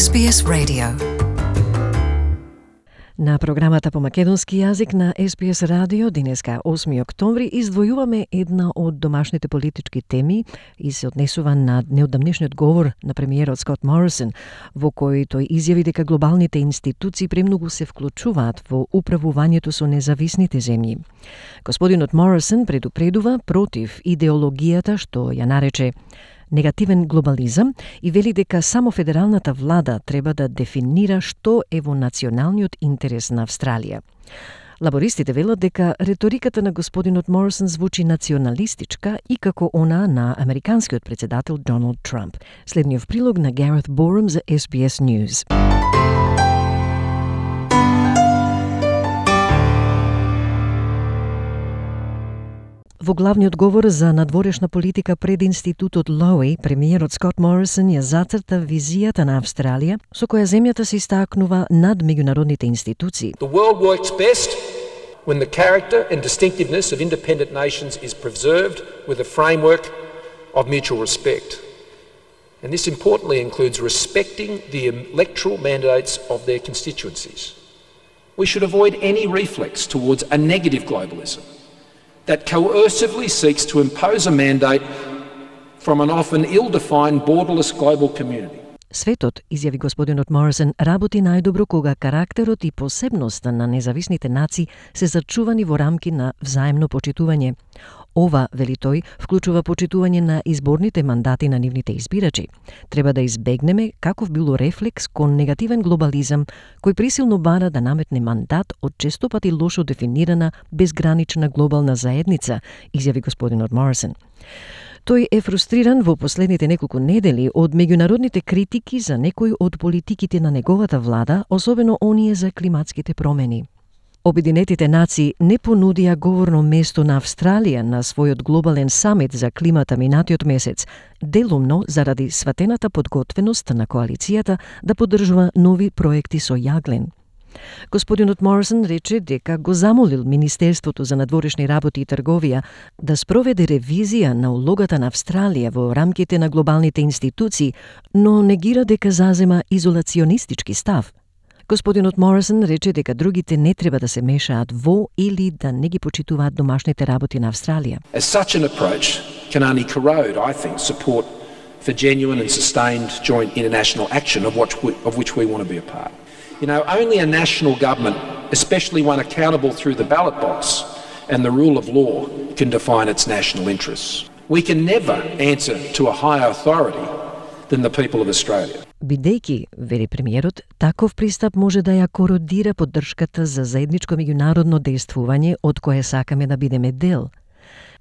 SBS Radio. На програмата по македонски јазик на SBS Radio денеска 8 октомври издвојуваме една од домашните политички теми и се однесува на неодамнешниот говор на премиерот Скот Морисон, во кој тој изјави дека глобалните институции премногу се вклучуваат во управувањето со независните земји. Господинот Морисон предупредува против идеологијата што ја нарече негативен глобализам и вели дека само федералната влада треба да дефинира што е во националниот интерес на Австралија. Лабористите велат дека реториката на господинот Морисон звучи националистичка и како она на американскиот председател Доналд Трамп. Следниот прилог на Гарет Борум за SBS News. Во главниот говор за надворешна политика пред институтот Лоуи, премиерот Скот Морисон ја зацрта визијата на Австралија, со која земјата се истакнува над меѓународните институции. The world works best when the character and distinctiveness of independent nations is preserved with a framework of mutual respect. And this importantly includes respecting the electoral mandates of their constituencies. We should avoid any reflex towards a negative globalism that coercively seeks to impose a mandate from an often ill-defined borderless global community. Светот, изјави господинот Морисон, работи најдобро кога карактерот и посебноста на независните нации се зачувани во рамки на взаимно почитување. Ова, вели тој, вклучува почитување на изборните мандати на нивните избирачи. Треба да избегнеме каков било рефлекс кон негативен глобализам, кој присилно бара да наметне мандат од честопати лошо дефинирана безгранична глобална заедница, изјави господинот Морисон. Тој е фрустриран во последните неколку недели од меѓународните критики за некои од политиките на неговата влада, особено оние за климатските промени. Обединетите нации не понудија говорно место на Австралија на својот глобален самит за климата минатиот месец, делумно заради сватената подготвеност на коалицијата да поддржува нови проекти со јаглен. Господинот Морисон рече дека го замолил Министерството за надворешни работи и трговија да спроведе ревизија на улогата на Австралија во рамките на глобалните институции, но негира дека зазема изолационистички став. Господинот Морисон рече дека другите не треба да се мешаат во или да не ги почитуваат домашните работи на Австралија. As such an approach can only corrode, I think, support for genuine and sustained joint international action of which we want to be a part. You know, only a national government, especially one accountable through the ballot box and the rule of law, can define its national interests. We can never answer to a higher authority than the people of Australia. Бидејќи, вели премиерот, таков пристап може да ја кородира поддршката за заедничко меѓународно дејствување од кое сакаме да бидеме дел.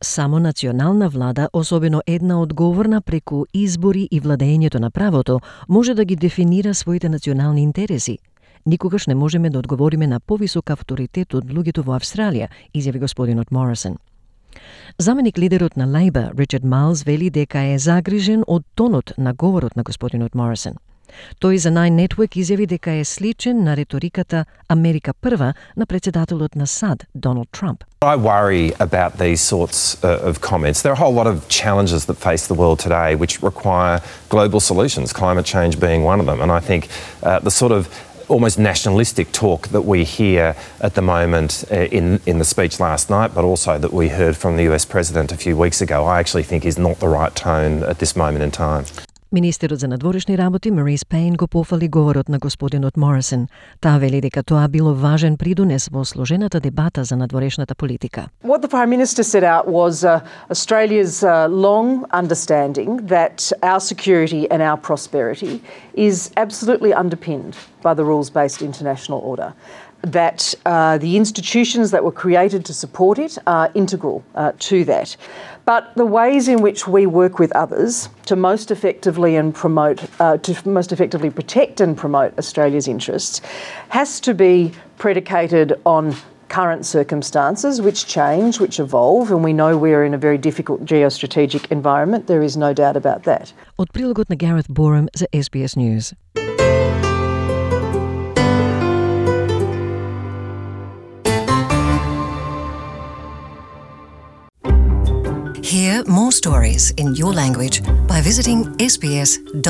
Само национална влада, особено една одговорна преку избори и владењето на правото, може да ги дефинира своите национални интереси. Никогаш не можеме да одговориме на повисок авторитет од луѓето во Австралија, изјави господинот Морисон. Заменик лидерот на Лейбор, Ричард Майлс, вели дека е загрижен од тонот на говорот на господинот Морисон. Тој за Nine Network изјави дека е сличен на реториката Америка прва на председателот на САД, Доналд Трамп. I worry about these sorts of comments. There are a whole lot of challenges that face the world today which require global solutions, climate change being one of them. And I think the sort of almost nationalistic talk that we hear at the moment in the speech last night, but also that we heard from the US President a few weeks ago, I actually think is not the right tone at this moment in time. Министерот за надворешни работи Марис Пейн го пофали говорот на господинот Морисон. Таа вели дека тоа било важен придонес во сложената дебата за надворешната политика. What the Prime Minister set out was Australia's long understanding that our security and our prosperity is absolutely underpinned by the rules-based international order. That the institutions that were created to support it are integral to that. But the ways in which we work with others to most effectively protect and promote Australia's interests has to be predicated on current circumstances which change, which evolve, and we know we're in a very difficult geostrategic environment. There is no doubt about that. Од прилогот на Гарет Борум за SBS News. Hear more stories in your language by visiting sbs.com.au.